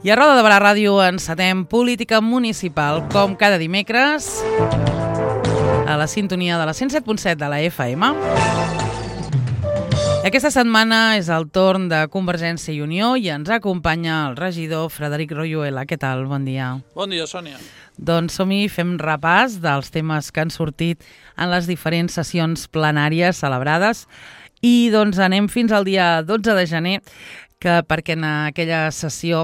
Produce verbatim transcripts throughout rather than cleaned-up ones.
I a Roda de Barà Ràdio encetem política municipal, com cada dimecres, a la sintonia de la cent set punt set de la F M. Aquesta setmana és el torn de Convergència i Unió i ens acompanya el regidor Frederic Royuela. Què tal? Bon dia. Bon dia, Sònia. Doncs som-hi, fem repàs dels temes que han sortit en les diferents sessions plenàries celebrades i doncs anem fins al dia dotze de gener, que perquè en aquella sessió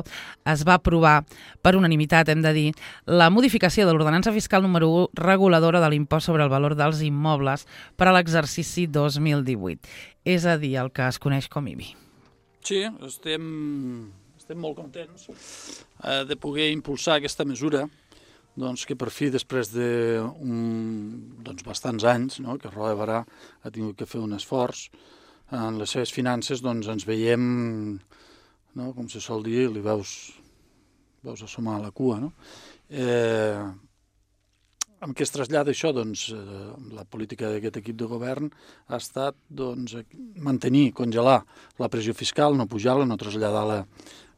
es va aprovar per unanimitat, hem de dir, la modificació de l'ordenança fiscal número u reguladora de l'impost sobre el valor dels immobles per a l'exercici dos mil divuit. És a dir, el que es coneix com I B I. Sí, estem, estem molt contents eh, de poder impulsar aquesta mesura, doncs, que per fi, després de un, doncs, bastants anys, no?, que Roda de Barà ha tingut que fer un esforç en les seves finances, doncs ens veiem, no?, com se sol dir, li veus, veus assomar la cua, no? Eh, amb què es trasllada això? Doncs eh, la política d'aquest equip de govern ha estat, doncs, mantenir, congelar la pressió fiscal, no pujar-la, no traslladar-la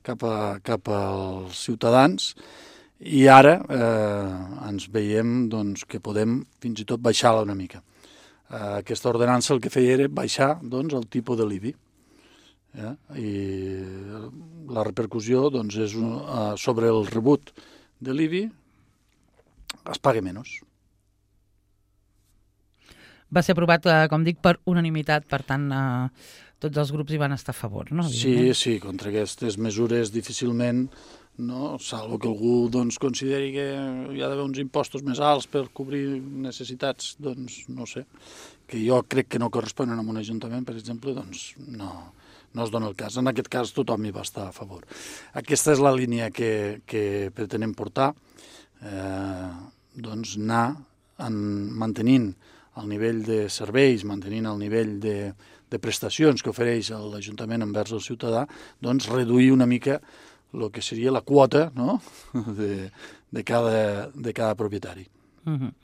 cap, a, cap als ciutadans, i ara eh, ens veiem, doncs, que podem fins i tot baixar-la una mica. Uh, aquesta ordenança el que feia era baixar, doncs, el tipus de l'I B I. Eh? I la repercussió, doncs, és un, uh, sobre el rebut de l'I B I es paga menys. Va ser aprovat, uh, com dic, per unanimitat, per tant, uh, tots els grups hi van estar a favor, no? Sí, sí, contra aquestes mesures difícilment, no? Salvo que algú, doncs, consideri que hi ha d'haver uns impostos més alts per cobrir necessitats, doncs no sé, que jo crec que no corresponen a un ajuntament, per exemple, doncs no, no es dona el cas. En aquest cas tothom hi va estar a favor. Aquesta és la línia que, que pretenem portar, eh, doncs anar en, mantenint el nivell de serveis, mantenint el nivell de, de prestacions que ofereix l'Ajuntament envers el ciutadà, doncs reduir una mica el que seria la quota, no?, de, de, cada, de cada propietari. Mm-hmm.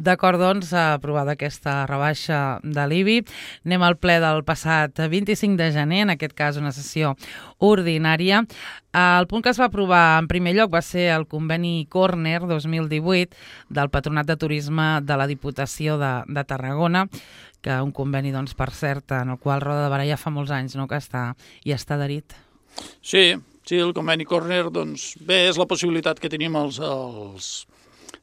D'acord, doncs, aprovada aquesta rebaixa de l'I B I. Anem al ple del passat vint-i-cinc de gener, en aquest cas una sessió ordinària. El punt que es va aprovar en primer lloc va ser el conveni Corner dos mil divuit del Patronat de Turisme de la Diputació de, de Tarragona, que un conveni, doncs, per cert, en el qual Roda de Barà ja fa molts anys, no?, que està, i està adherit. Sí, sí, el conveni Corner, doncs, bé, és la possibilitat que tenim els, els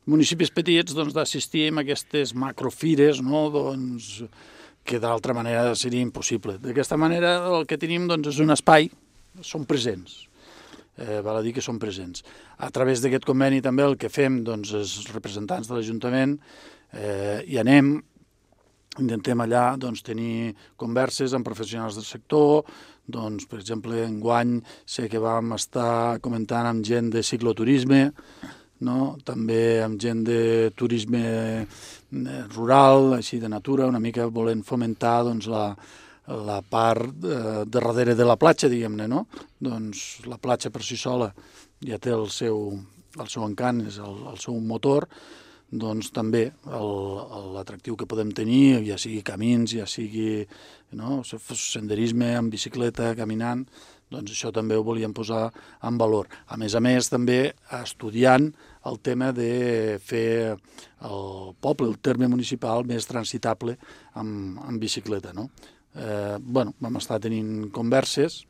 municipis petits, doncs, d'assistir a aquestes macrofires, no?, doncs, que d'altra manera seria impossible. D'aquesta manera el que tenim, doncs, és un espai, són presents, eh, val a dir que són presents. A través d'aquest conveni també el que fem, doncs, els representants de l'Ajuntament eh, hi anem, intentem allà, doncs, tenir converses amb professionals del sector, doncs, per exemple, enguany sé que vam estar comentant amb gent de cicloturisme, no?, també amb gent de turisme rural, així de natura, una mica volent fomentar, doncs, la, la part eh, de darrere de la platja, diguem-ne, no? Doncs la platja per si sola ja té el seu, el seu encant, és el, el seu motor, doncs també l'atractiu que podem tenir, ja sigui camins, ja sigui, no?, senderisme amb bicicleta, caminant, doncs això també ho volíem posar en valor. A més a més, també estudiant el tema de fer el poble, el terme municipal més transitable amb, amb bicicleta, no? Eh, bueno, vam estar tenint converses.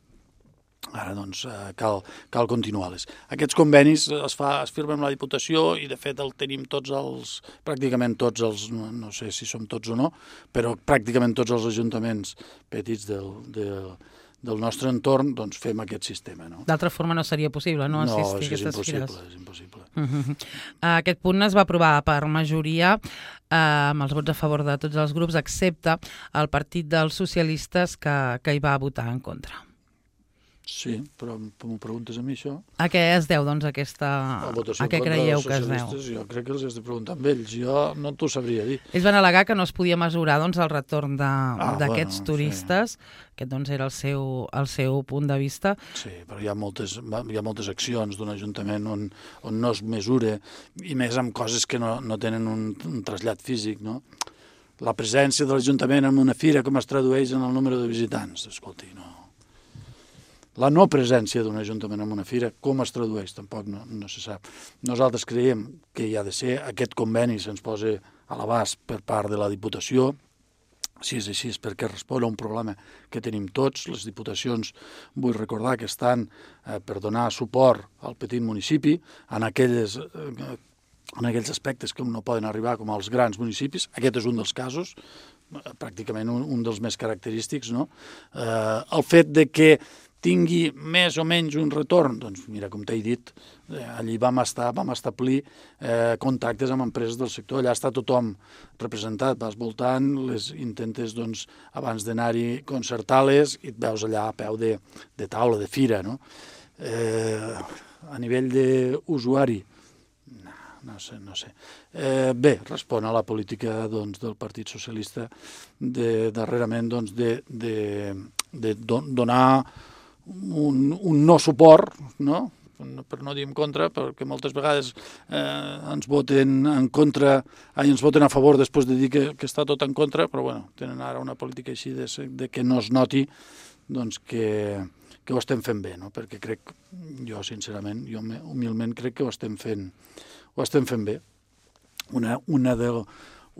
Ara, doncs, cal, cal continuar-les. Aquests convenis es, fa, es firmen amb la Diputació i, de fet, el tenim tots els, pràcticament tots els, no sé si som tots o no, però pràcticament tots els ajuntaments petits del, del, del nostre entorn, doncs, fem aquest sistema, no? D'altra forma no seria possible, no?, assistir no, a aquestes impossible, fires. és impossible. Uh-huh. Aquest punt es va aprovar per majoria, eh, amb els vots a favor de tots els grups, excepte el Partit dels Socialistes, que, que hi va votar en contra. Sí, però m'ho preguntes a mi, això? A què es deu, doncs, aquesta... A què creieu que es deu? Jo crec que els has de preguntar amb ells. Jo no t'ho sabria dir. Ells van al·legar que no es podia mesurar, doncs, el retorn d'aquests ah, bueno, turistes. Sí. Aquest, doncs, era el seu, el seu punt de vista. Sí, però hi ha moltes, hi ha moltes accions d'un ajuntament on, on no es mesura, i més amb coses que no, no tenen un, un trasllat físic, no? La presència de l'Ajuntament en una fira com es tradueix en el número de visitants. Escolti, no... la no presència d'un ajuntament en una fira, com es tradueix? Tampoc no, no se sap. Nosaltres creiem que hi ha de ser, aquest conveni se'ns posa a l'abast per part de la Diputació. Si és així és perquè respon a un problema que tenim tots. Les diputacions, vull recordar que estan eh, per donar suport al petit municipi en aquelles, eh, en aquells aspectes que no poden arribar com als grans municipis. Aquest és un dels casos, eh, pràcticament un, un dels més característics, no? Eh, el fet de que tingui més o menys un retorn, doncs mira, com t'he dit, eh, allí vam estar, vam establir eh, contactes amb empreses del sector, allà està tothom representat, vas voltant, les intentes, doncs, abans d'anar-hi concertar-les i et veus allà a peu de, de taula, de fira, no? Eh, a nivell d'usuari, no, no sé, no sé. Eh, bé, respon a la política, doncs, del Partit Socialista de, darrerament, doncs, de, de, de don, donar Un, un no suport, no? Per no dir en contra, perquè moltes vegades eh, ens voten en contra, ai, ens voten a favor després de dir que, que està tot en contra, però bueno, tenen ara una política així de, de que no es noti doncs, que, que ho estem fent bé, no? Perquè crec, jo sincerament, jo humilment crec que ho estem fent, ho estem fent bé. Una, una del,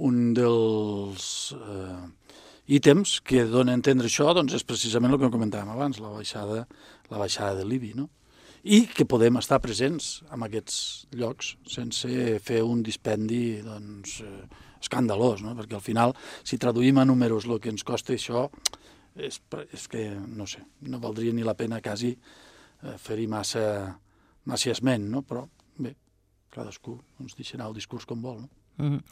un dels... Eh, ítems que donen a entendre això doncs és precisament el que comentàvem abans, la baixada, la baixada de l'I B I, no? I que podem estar presents en aquests llocs sense fer un dispendi doncs, eh, escandalós, no? Perquè al final, si traduïm a números el que ens costa això, és, és que, no sé, no valdria ni la pena quasi eh, fer-hi massa, massa esment, no? Però bé, cadascú ens deixa anar el discurs com vol, no? Mm-hmm.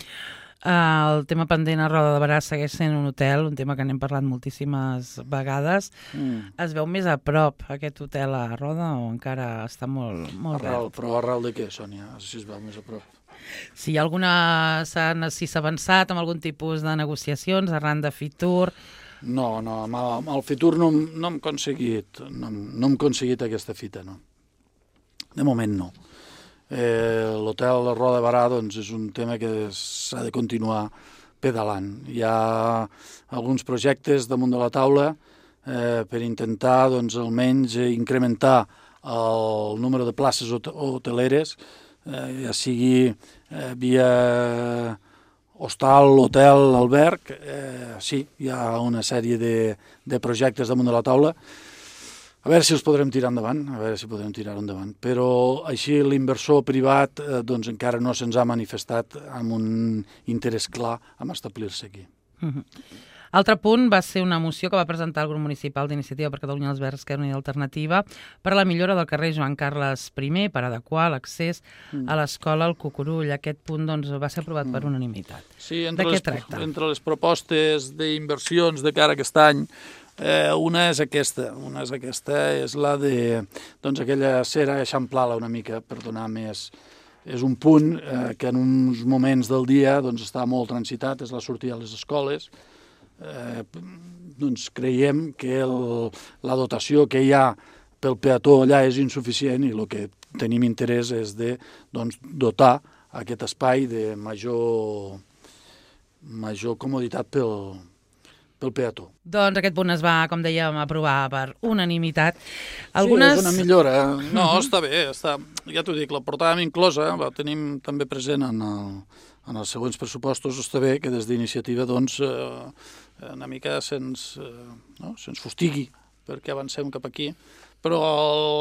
Uh, el tema pendent a Roda de Berà segueix sent un hotel, un tema que n'hem parlat moltíssimes vegades. Mm. Es veu més a prop aquest hotel a Roda o encara està molt, molt arrel, però arrel de què, Sònia? Si es veu més a prop. Si hi ha alguna... Si s'ha avançat amb algun tipus de negociacions arran de Fitur... No, no, amb el, amb el Fitur no, no hem aconseguit, no, no hem aconseguit aquesta fita, no. De moment no. Eh, l'hotel de Roda de Berà doncs, és un tema que s'ha de continuar pedalant. Hi ha alguns projectes damunt de la taula eh, per intentar doncs, almenys incrementar el número de places hoteleres, eh, ja sigui eh, via hostal, hotel, alberg. Eh, sí, hi ha una sèrie de, de projectes damunt de la taula. A veure si els podrem tirar endavant, a veure si podrem tirar endavant. Però així l'inversor privat eh, doncs encara no se'ns ha manifestat amb un interès clar en establir-se aquí. Mm-hmm. Altre punt va ser una moció que va presentar el grup municipal d'Iniciativa per Catalunya els Verds, Esquerra Unida i Alternativa, per a la millora del carrer Joan Carles I, per adequar l'accés mm. a l'escola al Cucurull. Aquest punt doncs, va ser aprovat mm. per unanimitat. Sí, entre de les, què tracta? Entre les propostes d'inversions de cara a aquest any, Eh, una és aquesta, una és aquesta, és la de, doncs, aquella cera eixamplar-la una mica per donar més... És un punt eh, que en uns moments del dia doncs, està molt transitat, és la sortida a les escoles. Eh, doncs creiem que el, la dotació que hi ha pel peató allà és insuficient i el que tenim interès és de doncs, dotar aquest espai de major, major comoditat pel pel peató. Doncs aquest punt es va, com dèiem, aprovar per unanimitat. Algunes... Sí, és una millora. No, uh-huh. està bé, està... ja t'ho dic, la portàvem inclosa, la tenim també present en, el, en els següents pressupostos. Està bé que des d'iniciativa doncs, eh, una mica se'ns eh, no? se'ns fustigui perquè avancem cap aquí, però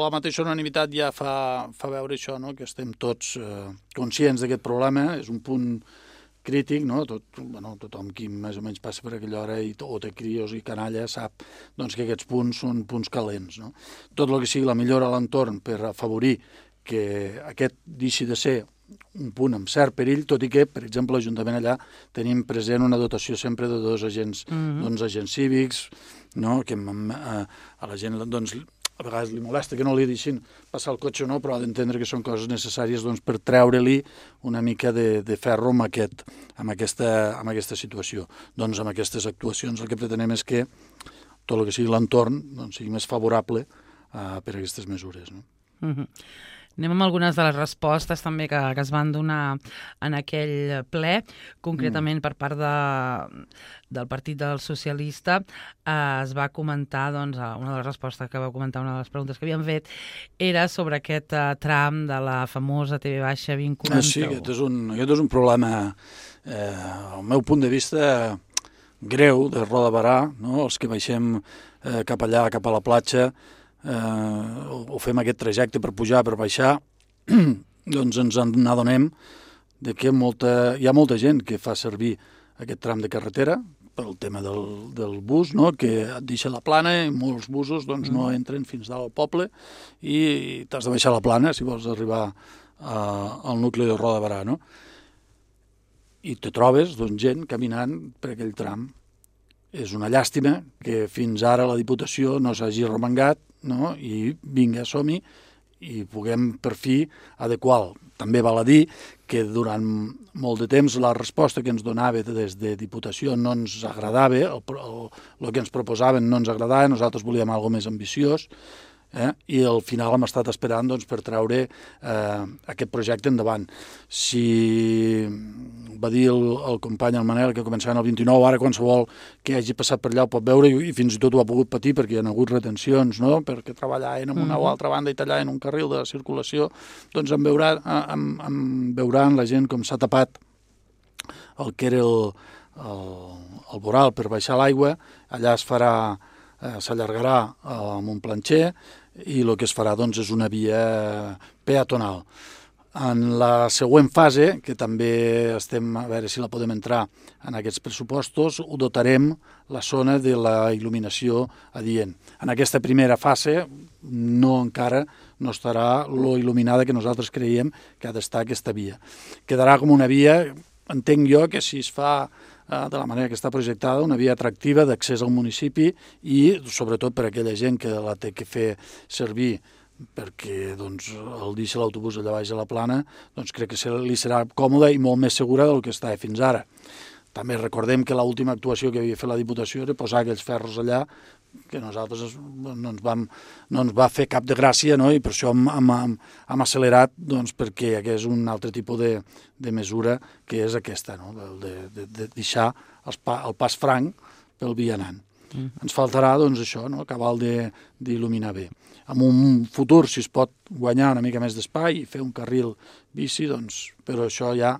la mateixa unanimitat ja fa, fa veure això, no? Que estem tots eh, conscients d'aquest problema, és un punt crític, no? Tot, bueno, tothom qui més o menys passa per aquella hora i, o té crios i canalla sap doncs, que aquests punts són punts calents. No? Tot el que sigui la millora a l'entorn per afavorir que aquest deixi de ser un punt amb cert perill, tot i que, per exemple, l'Ajuntament allà tenim present una dotació sempre de dos agents, mm-hmm. doncs, agents cívics, no? Que a, a la gent doncs, a vegades li molesta que no li deixin passar el cotxe o no, però ha d'entendre que són coses necessàries doncs, per treure-li una mica de, de ferro amb, aquest, amb, aquesta, amb aquesta situació. Doncs amb aquestes actuacions el que pretenem és que tot el que sigui l'entorn doncs, sigui més favorable uh, per a aquestes mesures. No? Mm-hmm. Anem amb algunes de les respostes també que, que es van donar en aquell ple, concretament mm. per part de, del Partit del Socialista. Eh, es va comentar, doncs, una de les respostes que va comentar, una de les preguntes que havien fet, era sobre aquest eh, tram de la famosa T V baixa vint quaranta-u. Ah, sí, aquest és un, aquest és un problema, eh, al meu punt de vista, greu, de Roda de Barà, no? Els que baixem eh, cap allà, cap a la platja, eh, o fem aquest trajecte per pujar, per baixar, doncs ens n'adonem de que molta, hi ha molta gent que fa servir aquest tram de carretera pel tema del, del bus, no? Que et deixa la plana i molts busos doncs, no entren fins dalt al poble i t'has de baixar la plana si vols arribar a, al nucli de Roda de Barà, no? I te trobes doncs, gent caminant per aquell tram. És una llàstima que fins ara la Diputació no s'hagi remengat, no? I vinga, som-hi, i puguem per fi adequar. També val a dir que durant molt de temps la resposta que ens donava des de Diputació no ens agradava, el, el, el que ens proposaven no ens agradava, nosaltres volíem alguna més ambiciós, eh? I al final hem estat esperant doncs, per treure eh, aquest projecte endavant. Si va dir el, el company, el Manel, que començaven el vint-i-nou, ara qualsevol que hagi passat per allà ho pot veure i, i fins i tot ho ha pogut patir perquè hi ha hagut retencions, no? Perquè treballaven en una mm-hmm. o altra banda i tallaven un carril de la circulació, doncs en, veurà, en, en veuran la gent com s'ha tapat el que era el, el, el voral per baixar l'aigua, allà es farà Eh, s'allargarà eh, amb un planxer i el que es farà doncs, és una via peatonal. En la següent fase, que també estem a veure si la podem entrar en aquests pressupostos, ho dotarem la zona de la il·luminació adient. En aquesta primera fase no encara no estarà lo il·luminada que nosaltres creiem que ha d'estar aquesta via. Quedarà com una via, entenc jo, que si es fa de la manera que està projectada, una via atractiva d'accés al municipi i, sobretot, per a aquella gent que la té que fer servir perquè doncs, el deixa l'autobús allà baix a la plana, doncs crec que li serà còmoda i molt més segura del que estava fins ara. També recordem que l'última actuació que havia fet la Diputació era posar aquells ferros allà que nosaltres no ens, vam, no ens va fer cap de gràcia, no? I per això hem, hem, hem accelerat doncs, perquè hi hagués un altre tipus de, de mesura que és aquesta, no? de, de, de deixar els pa, el pas franc pel vianant. Mm. Ens faltarà doncs, això, no? Acabar d'il·luminar bé. En un futur, si es pot guanyar una mica més d'espai i fer un carril bici, doncs, però això ja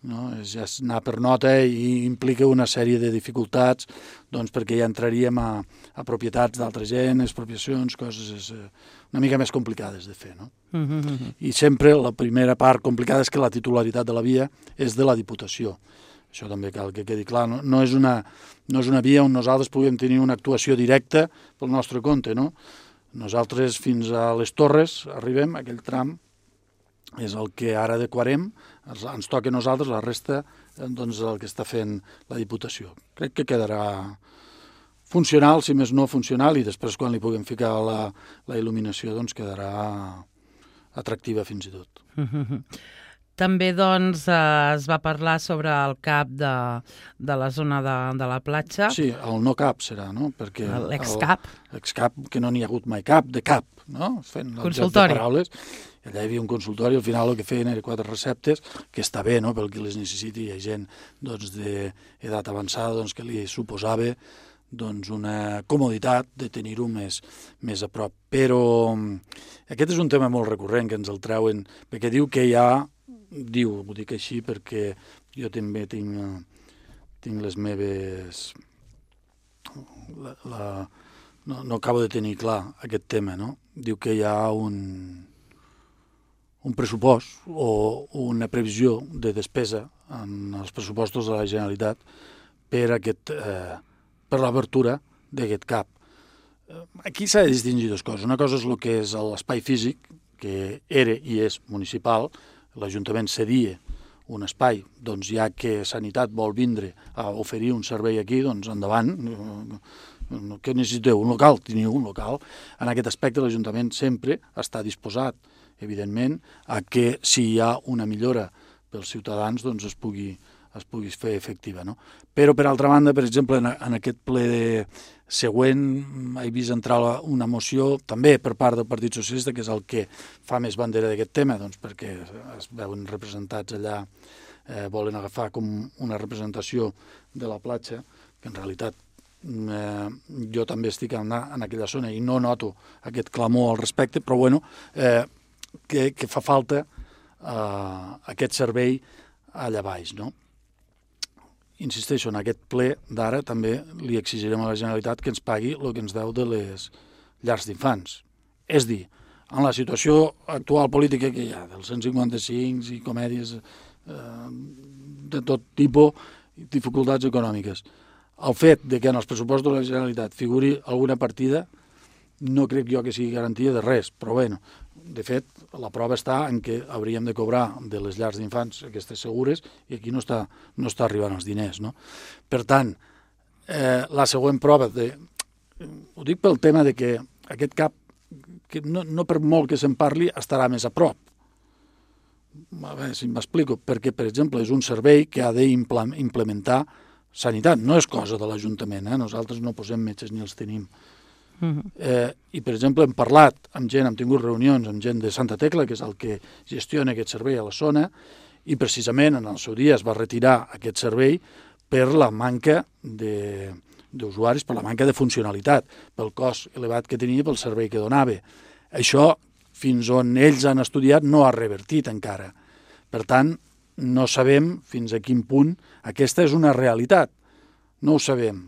no? És ja anar per nota i implica una sèrie de dificultats doncs, perquè ja entraríem a, a propietats d'altra gent, expropiacions, coses eh, una mica més complicades de fer. No? Mm-hmm. I sempre la primera part complicada és que la titularitat de la via és de la Diputació. Això també cal que quedi clar. No, no, és, una, no és una via on nosaltres puguem tenir una actuació directa pel nostre compte. No? Nosaltres fins a les Torres arribem, aquell tram, és el que ara adequarem, ens toca a nosaltres, la resta doncs, el que està fent la Diputació. Crec que quedarà funcional, si més no funcional, i després quan li puguem ficar la, la il·luminació doncs quedarà atractiva fins i tot. També doncs, es va parlar sobre el cap de, de la zona de, de la platja. Sí, el no cap serà, no? Perquè l'excap. L'excap, que no n'hi ha hagut mai cap, de cap, no? Fent el joc de paraules. Allà hi havia un consultori, al final el que feien eren quatre receptes, que està bé, no?, pel que les necessiti. Hi ha gent doncs, d'edat avançada doncs, que li suposava doncs, una comoditat de tenir-ho més, més a prop. Però aquest és un tema molt recurrent que ens el treuen, perquè diu que hi ha, diu, ho dic així perquè jo també tinc, tinc les meves... La, la, no, no acabo de tenir clar aquest tema, no? Diu que hi ha un... un pressupost o una previsió de despesa en els pressupostos de la Generalitat per, aquest, eh, per l'obertura d'aquest cap. Aquí s'ha de distingir dues coses. Una cosa és el que és l'espai físic, que era i és municipal. L'Ajuntament cedia un espai, doncs ja que Sanitat vol vindre a oferir un servei aquí, doncs endavant. Què necessiteu? Un local? Teniu un local. En aquest aspecte l'Ajuntament sempre està disposat, evidentment, a que si hi ha una millora pels ciutadans doncs es pugui es pugui fer efectiva, no? Però, per altra banda, per exemple, en, en aquest ple de següent he vist entrar una moció també per part del Partit Socialista, que és el que fa més bandera d'aquest tema, doncs perquè es veuen representats allà, eh, volen agafar com una representació de la platja, que en realitat eh, jo també estic en, en aquella zona i no noto aquest clamor al respecte, però bueno, eh, que, que fa falta eh, aquest servei allà baix, no? Insisteixo, en aquest ple d'ara també li exigirem a la Generalitat que ens pagui el que ens deu de les llars d'infants. És dir, en la situació actual política que hi ha, dels cent cinquanta-cinc i comèdies eh, de tot tipus, dificultats econòmiques, el fet de que en els pressupostos de la Generalitat figuri alguna partida no crec jo que sigui garantia de res, però bueno, de fet, la prova està en què hauríem de cobrar de les llars d'infants aquestes segures i aquí no està, no està arribant els diners, no? Per tant, eh, la següent prova, de, ho dic pel tema de que aquest cap, que no, no per molt que se'n parli, estarà més a prop. A veure si m'explico, perquè, per exemple, és un servei que ha d'implementar sanitat, no és cosa de l'Ajuntament, eh? Nosaltres no posem metges ni els tenim. Eh, I, per exemple, hem parlat amb gent, hem tingut reunions amb gent de Santa Tecla, que és el que gestiona aquest servei a la zona, i precisament en el seu dia es va retirar aquest servei per la manca d'usuaris, per la manca de funcionalitat, pel cost elevat que tenia, pel servei que donava. Això, fins on ells han estudiat, no ha revertit encara. Per tant, no sabem fins a quin punt aquesta és una realitat. No ho sabem.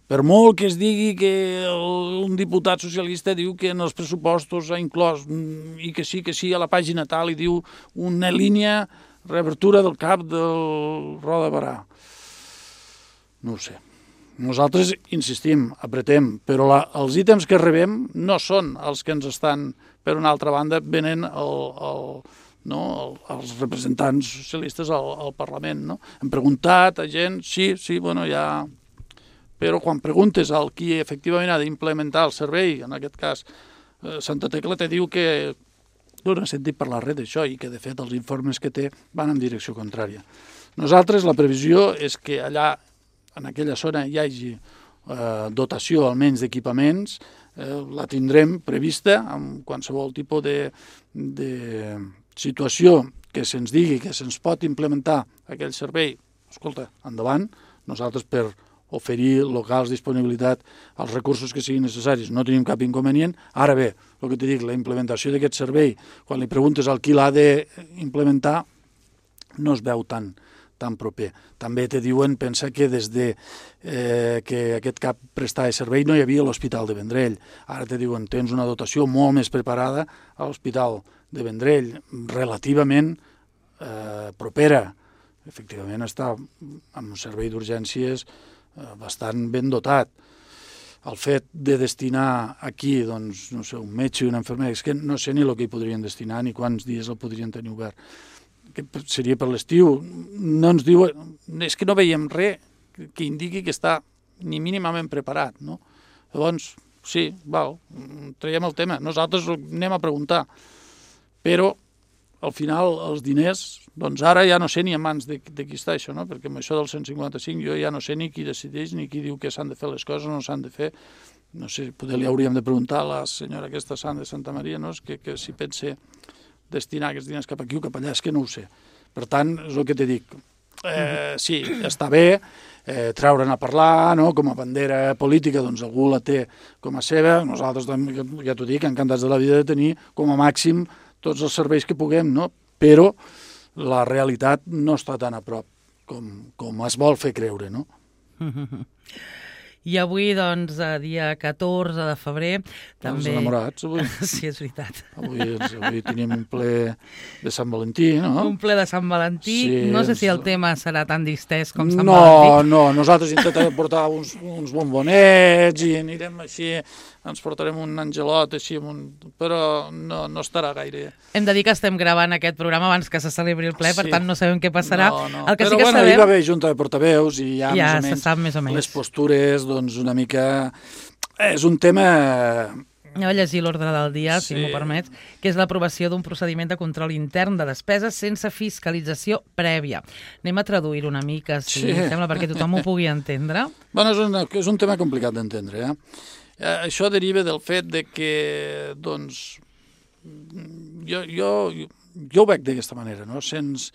Per molt que es digui que un diputat socialista diu que en els pressupostos ha inclòs, i que sí, que sí, a la pàgina tal, i diu una línia reabertura del cap del Roda de Barà. No ho sé. Nosaltres insistim, apretem, però la, els ítems que rebem no són els que ens estan, per una altra banda, venen el, el, no, el, els representants socialistes al, al Parlament. No? Hem preguntat a gent, sí, sí, bueno, ja... Però quan preguntes al qui efectivament ha d'implementar el servei, en aquest cas eh, Santa Tecla, te diu que no n'ha sentit parlar res d'això i que, de fet, els informes que té van en direcció contrària. Nosaltres, la previsió és que allà, en aquella zona, hi hagi eh, dotació almenys d'equipaments, eh, la tindrem prevista amb qualsevol tipus de, de situació que se'ns digui que se'ns pot implementar aquell servei. Escolta, endavant, nosaltres per oferir locals, disponibilitat, els recursos que siguin necessaris. No tenim cap inconvenient. Ara bé, el que t'he dit, la implementació d'aquest servei, quan li preguntes al qui l'ha d'implementar, no es veu tan, tan proper. També te diuen, pensa que des de eh, que aquest cap prestava servei no hi havia l'Hospital de Vendrell. Ara te diuen, tens una dotació molt més preparada a l'Hospital de Vendrell, relativament eh, propera. Efectivament, està en un servei d'urgències bastant ben dotat. El fet de destinar aquí, doncs, no sé, un metge i una infermera, és que no sé ni el que hi podrien destinar ni quants dies el podrien tenir obert. Que seria per l'estiu. No ens diuen... És que no veiem res que indiqui que està ni mínimament preparat, no? Llavors, sí, val, traiem el tema. Nosaltres anem a preguntar. Però, al final, els diners, doncs ara ja no sé ni a mans de, de qui està això, no? Perquè amb això del cent cinquanta-cinc jo ja no sé ni qui decideix ni qui diu que s'han de fer les coses o no s'han de fer. No sé, potser li hauríem de preguntar a la senyora aquesta Sant de Santa Maria, no? que, que si pensa destinar aquests diners cap aquí o cap allà, és que no ho sé. Per tant, és el que te dic. Eh, sí, està bé eh, treure'n a parlar, no? Com a bandera política, doncs algú la té com a seva. Nosaltres, ja t'ho dic, encantats de la vida de tenir com a màxim tots els serveis que puguem, no? Però la realitat no està tan a prop com, com es vol fer creure, no? I avui, doncs, dia catorze de febrer, també... Els enamorats, avui. Sí, és veritat. Avui, avui tenim un ple de Sant Valentí, no? Un ple de Sant Valentí. Sí, no sé si el tema serà tan distès com Sant no, Valentí. No, no, nosaltres intentarem portar uns, uns bombonets i anirem així, ens portarem un angelot així, un... però no, no estarà gaire. Hem de dir que estem gravant aquest programa abans que se celebri el ple, sí. Per tant no sabem què passarà. No, no. El que però sí que bueno, sabem... hi va haver junta de portaveus i ja, ja més, o menys, se sap més o menys les postures, doncs una mica... És un tema Anava a llegir l'ordre del dia, si Sí. m'ho permets, que és l'aprovació d'un procediment de control intern de despeses sense fiscalització prèvia. Anem a traduir una mica, si Sí. sembla, perquè tothom ho pugui entendre. Bueno, és, una, és un tema complicat d'entendre. Eh? Eh, això deriva del fet de que, doncs, jo, jo, jo ho veig d'aquesta manera, no? Se'ns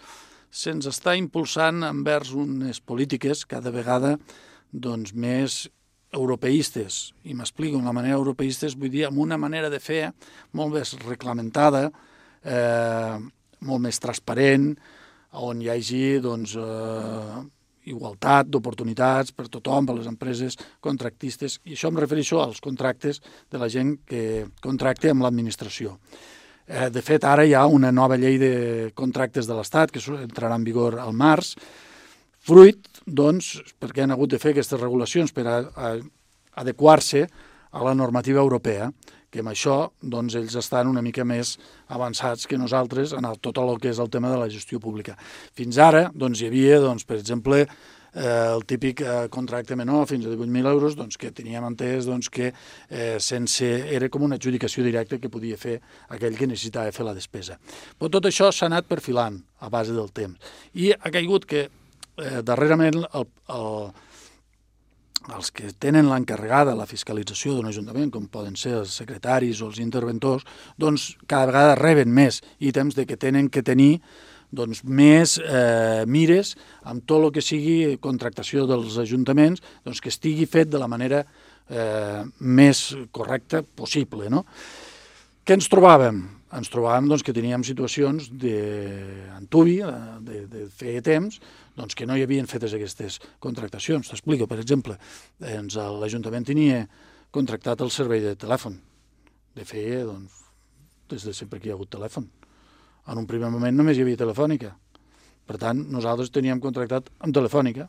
se'ns està impulsant envers unes polítiques cada vegada doncs, més europeistes, i m'explico, amb la manera europeistes vull dir amb una manera de fer molt més reglamentada, eh, molt més transparent, on hi hagi doncs, eh, igualtat d'oportunitats per tothom, per les empreses contractistes, i això em refereixo als contractes de la gent que contracta amb l'administració. Eh, de fet, ara hi ha una nova llei de contractes de l'Estat que entrarà en vigor al març, fruit, doncs, perquè han hagut de fer aquestes regulacions per a, a adequar-se a la normativa europea, que amb això doncs, ells estan una mica més avançats que nosaltres en el, tot el que és el tema de la gestió pública. Fins ara doncs, hi havia, doncs, per exemple, eh, el típic eh, contracte menor fins a divuit mil euros doncs, que teníem entès doncs, que eh, sense, era com una adjudicació directa que podia fer aquell que necessitava fer la despesa. Però tot això s'ha anat perfilant a base del temps. I ha caigut que eh, darrerament el, el, els que tenen l'encarregada la fiscalització d'un ajuntament, com poden ser els secretaris o els interventors, doncs cada vegada reben més ítems de que tenen que tenir doncs, més eh, mires amb tot el que sigui contractació dels ajuntaments, doncs, que estigui fet de la manera eh, més correcta possible. No? Què ens trobàvem? Ens trobàvem doncs, que teníem situacions d'antuvi, de, de fer temps, doncs, que no hi havien fetes aquestes contractacions. T'explico, per exemple, doncs, l'Ajuntament tenia contractat el servei de telèfon. De fer, doncs, des de sempre que hi ha hagut telèfon. En un primer moment només hi havia Telefònica. Per tant, nosaltres teníem contractat amb Telefònica.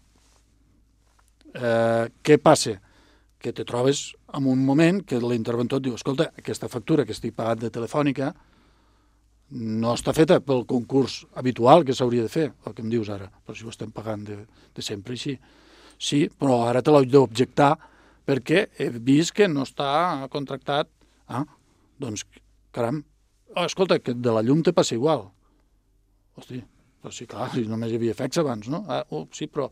Eh, què passa? Que te trobes en un moment que l'interventor et diu escolta, aquesta factura que estic pagat de Telefònica no està feta pel concurs habitual que s'hauria de fer, el que em dius ara, però si ho estem pagant de, de sempre així. Sí, però ara te l'haig d'objectar perquè he vist que no està contractat. Ah, doncs, caram, oh, escolta, que de la llum te passa igual. Hosti, però sí, clar, si només hi havia efectes abans, no? Ah, oh, sí, però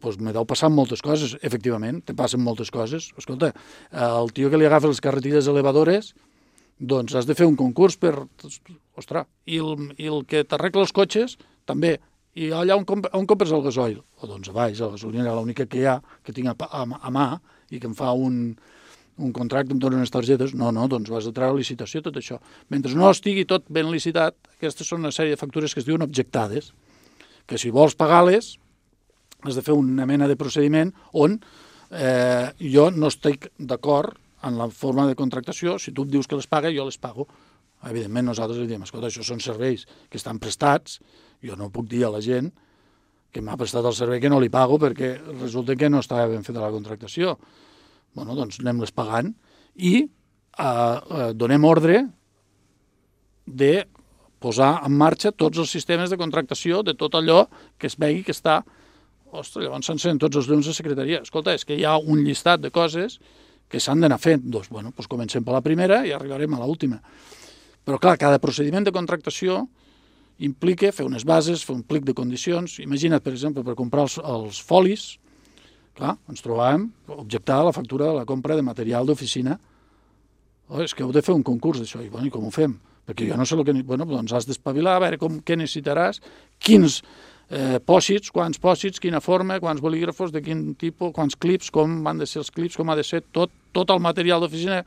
doncs me deu passar moltes coses, efectivament, te passen moltes coses. Escolta, el tio que li agafa les carretilles elevadores, doncs has de fer un concurs per... Ostres, i el, i el que t'arregla els cotxes, també. I allà on, comp on compres el gasoil? O doncs a baix, a la gasolina, l'única que hi ha, que tinc a, a, a mà, i que em fa un, un contracte, em donen unes targetes. No, no, doncs vas a treure licitació, tot això. Mentre no estigui tot ben licitat, aquestes són una sèrie de factures que es diuen objectades, que si vols pagar-les, has de fer una mena de procediment on eh, jo no estic d'acord en la forma de contractació. Si tu em dius que les paga, jo les pago. Evidentment, nosaltres li diem, escolta, això són serveis que estan prestats, jo no puc dir a la gent que m'ha prestat el servei que no li pago perquè resulta que no estava ben feta la contractació. Bueno, doncs anem-les pagant i eh, eh, donem ordre de posar en marxa tots els sistemes de contractació de tot allò que es vegi que està... Ostres, llavors s'encenen tots els llums de secretaria. Escolta, és que hi ha un llistat de coses que s'han d'anar fent. Doncs, bueno, doncs comencem per la primera i arribarem a l'última. Però, clar, cada procediment de contractació implica fer unes bases, fer un plic de condicions. Imagina't, per exemple, per comprar els, els folis, clar, ens trobàvem objectar la factura de la compra de material d'oficina. Oh, és que heu de fer un concurs d'això. I, bueno, i com ho fem? Perquè jo no sé el que... Bueno, doncs has d'espavilar, a veure com, què necessitaràs, quins eh, pòsits, quants pòsits, quina forma, quants bolígrafos, de quin tipus, quants clips, com van de ser els clips, com ha de ser tot, tot el material d'oficina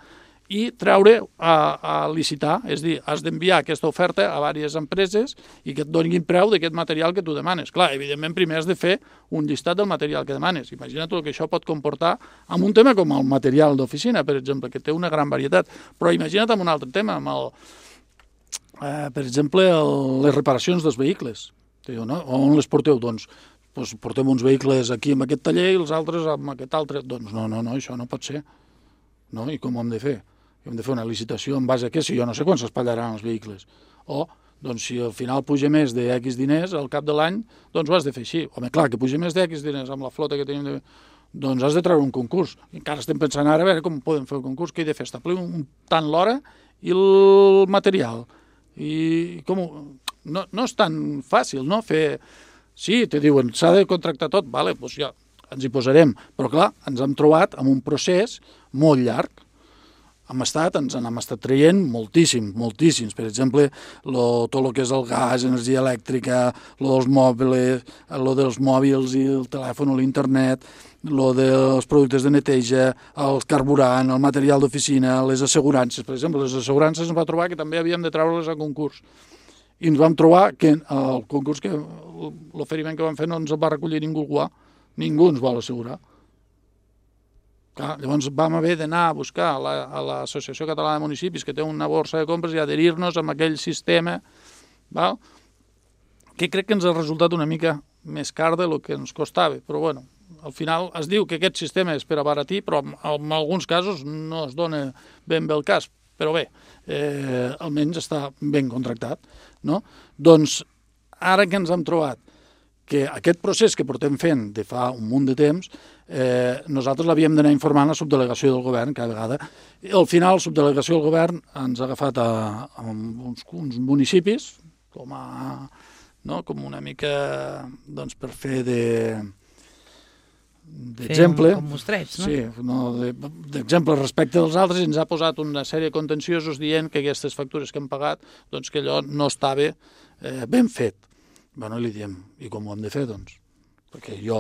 i treure a, a licitar, és a dir, has d'enviar aquesta oferta a diverses empreses i que et donin preu d'aquest material que tu demanes. Clar, evidentment, primer has de fer un llistat del material que demanes. Imagina't el que això pot comportar amb un tema com el material d'oficina, per exemple, que té una gran varietat. Però imagina't amb un altre tema, amb el, eh, per exemple, el, les reparacions dels vehicles. Diu, no? On les porteu? Doncs, doncs portem uns vehicles aquí amb aquest taller i els altres amb aquest altre. Doncs no, no, no, això no pot ser. No? I com ho hem de fer? Hem de fer una licitació en base a què? Si jo no sé quan s'espatllaran els vehicles. O, doncs, si al final puja més de X diners al cap de l'any, doncs ho has de fer així. Home, clar, que puja més de X diners amb la flota que tenim de... doncs has de treure un concurs. Encara estem pensant ara a veure com podem fer el concurs, què he de fer, establir un, tant l'hora i el material. I com ho... no, no és tan fàcil, no? Fer... Sí, te diuen, s'ha de contractar tot, vale, doncs ja ens hi posarem. Però clar, ens hem trobat amb un procés molt llarg. Hem estat, ens n'hem estat traient moltíssim, moltíssims. Per exemple, lo, tot el que és el gas, energia elèctrica, lo dels mòbils, lo dels mòbils i el telèfon o l'internet, lo dels productes de neteja, el carburant, el material d'oficina, les assegurances. Per exemple, les assegurances ens va trobar que també havíem de treure-les a concurs. I ens vam trobar que el concurs, que l'oferiment que vam fer no ens el va recollir ningú guà. Ningú ens vol assegurar. Clar, llavors vam haver d'anar a buscar a l'Associació Catalana de Municipis, que té una borsa de compres, i adherir-nos amb aquell sistema, val? Que crec que ens ha resultat una mica més car del que ens costava. Però bueno, al final es diu que aquest sistema és per abaratir, però en alguns casos no es dona ben bé el cas. Però bé, eh, almenys està ben contractat, no? Doncs ara que ens hem trobat que aquest procés que portem fent de fa un munt de temps, eh, nosaltres l'havíem d'anar informant a la subdelegació del govern cada vegada. I al final, la subdelegació del govern ens ha agafat a, a uns, uns municipis com, a, no, com una mica doncs, per fer de d'exemple. Com mostreig, no? Sí, no, d'exemple respecte dels altres, i ens ha posat una sèrie de contenciosos dient que aquestes factures que hem pagat, doncs que allò no estava eh, ben fet. Bueno, li diem, i com ho hem de fer, doncs? Perquè jo,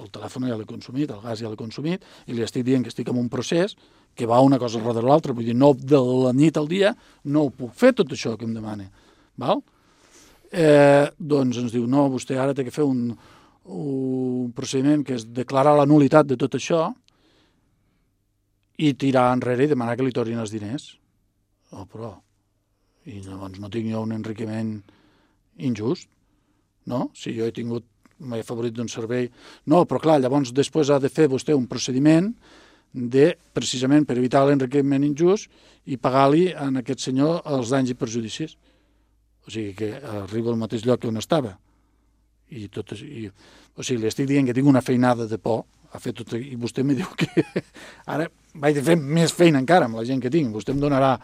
el telèfon ja l'he consumit, el gas ja l'he consumit, i li estic dient que estic en un procés que va una cosa darrere l'altra, vull dir, no de la nit al dia, no ho puc fer tot això que em demana, val? Eh, doncs ens diu, no, vostè ara té que fer un, un procediment que és declarar la nulitat de tot això i tirar enrere i demanar que li tornin els diners. Oh, però... I llavors no tinc jo un enriquiment injust, no? Si jo he tingut, m'he favorit d'un servei... No, però clar, llavors després ha de fer vostè un procediment de, precisament per evitar l'enriquiment injust, i pagar-li a aquest senyor els danys i perjudicis. O sigui que arriba al mateix lloc on estava. I tot, i, o sigui, li estic dient que tinc una feinada de por, a fer tot, i vostè me diu que ara vaig de fer més feina encara amb la gent que tinc. Vostè em donarà,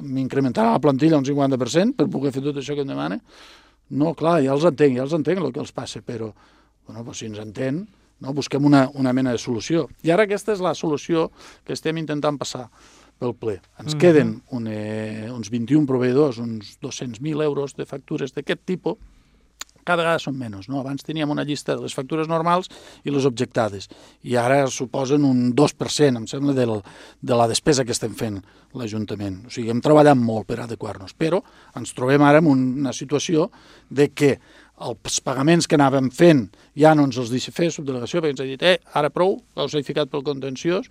m'incrementarà la plantilla un cinquanta per cent per poder fer tot això que em demana. No, clar, ja els entenc, ja els entenc el que els passa, però bueno, doncs si ens entén, no, busquem una, una mena de solució. I ara aquesta és la solució que estem intentant passar pel ple. Ens mm-hmm. queden un, eh, uns vint-i-un proveïdors, uns dos-cents mil euros de factures d'aquest tipus. Cada vegada són menys, no? Abans teníem una llista de les factures normals i les objectades, i ara suposen un dos per cent, em sembla, del, de la despesa que estem fent l'Ajuntament. O sigui, hem treballat molt per adequar-nos, però ens trobem ara en una situació de que els pagaments que anàvem fent ja no ens els deixa fer subdelegació, perquè ens ha dit, eh, ara prou, us he ficat pel contenciós,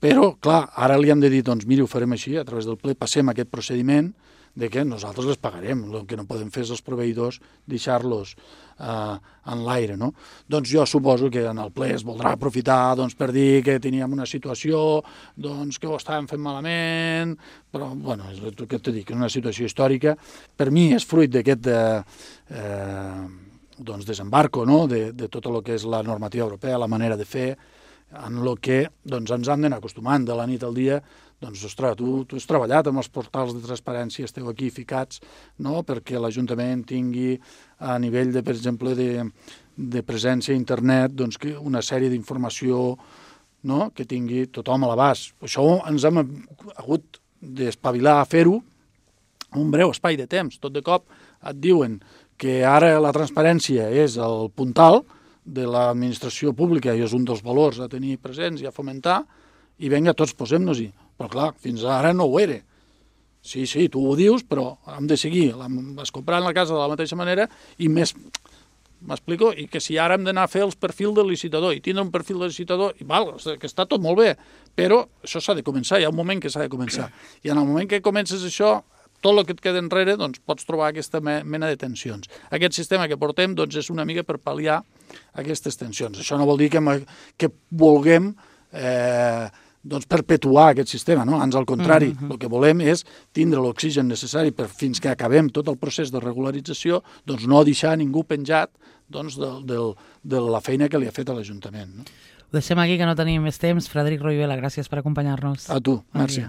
però, clar, ara li hem de dir, doncs, miri, ho farem així, a través del ple passem aquest procediment de que nosaltres les pagarem. El que no podem fer és els proveïdors deixar-los eh, en l'aire, no? Doncs jo suposo que en el ple es voldrà aprofitar doncs, per dir que teníem una situació doncs, que ho estàvem fent malament, però, bueno, és el que t'he dit, que és una situació històrica. Per mi és fruit d'aquest eh, doncs, desembarco, no?, de, de tot el que és la normativa europea, la manera de fer, en el que doncs, ens han d'anar acostumant de la nit al dia. Doncs, ostres, tu, tu has treballat amb els portals de transparència, esteu aquí ficats, no?, perquè l'Ajuntament tingui a nivell, de, per exemple, de, de presència a internet, doncs, que una sèrie d'informació, no?, que tingui tothom a l'abast. Això ens hem hagut d'espavilar a fer-ho en un breu espai de temps. Tot de cop et diuen que ara la transparència és el puntal de l'administració pública i és un dels valors a tenir presents i a fomentar, i vinga, tots posem-nos-hi. Però clar, fins ara no ho era. Sí, sí, tu ho dius, però hem de seguir. Es comprant la casa de la mateixa manera i més, m'explico, i que si ara hem d'anar a fer els perfils del licitador i tindre un perfil del licitador, i val, que està tot molt bé, però això s'ha de començar, hi ha un moment que s'ha de començar. I en el moment que comences això, tot el que et queda enrere, doncs pots trobar aquesta mena de tensions. Aquest sistema que portem doncs, és una mica per pal·liar aquestes tensions. Això no vol dir que, que vulguem eh, doncs perpetuar aquest sistema, no? Ans al contrari, mm-hmm. el que volem és tindre l'oxigen necessari per fins que acabem tot el procés de regularització, doncs no deixar ningú penjat doncs, de, de, de la feina que li ha fet a l'Ajuntament, no? deixem aquí que no tenim més temps. Frederic Roivela, gràcies per acompanyar-nos. A tu, merci.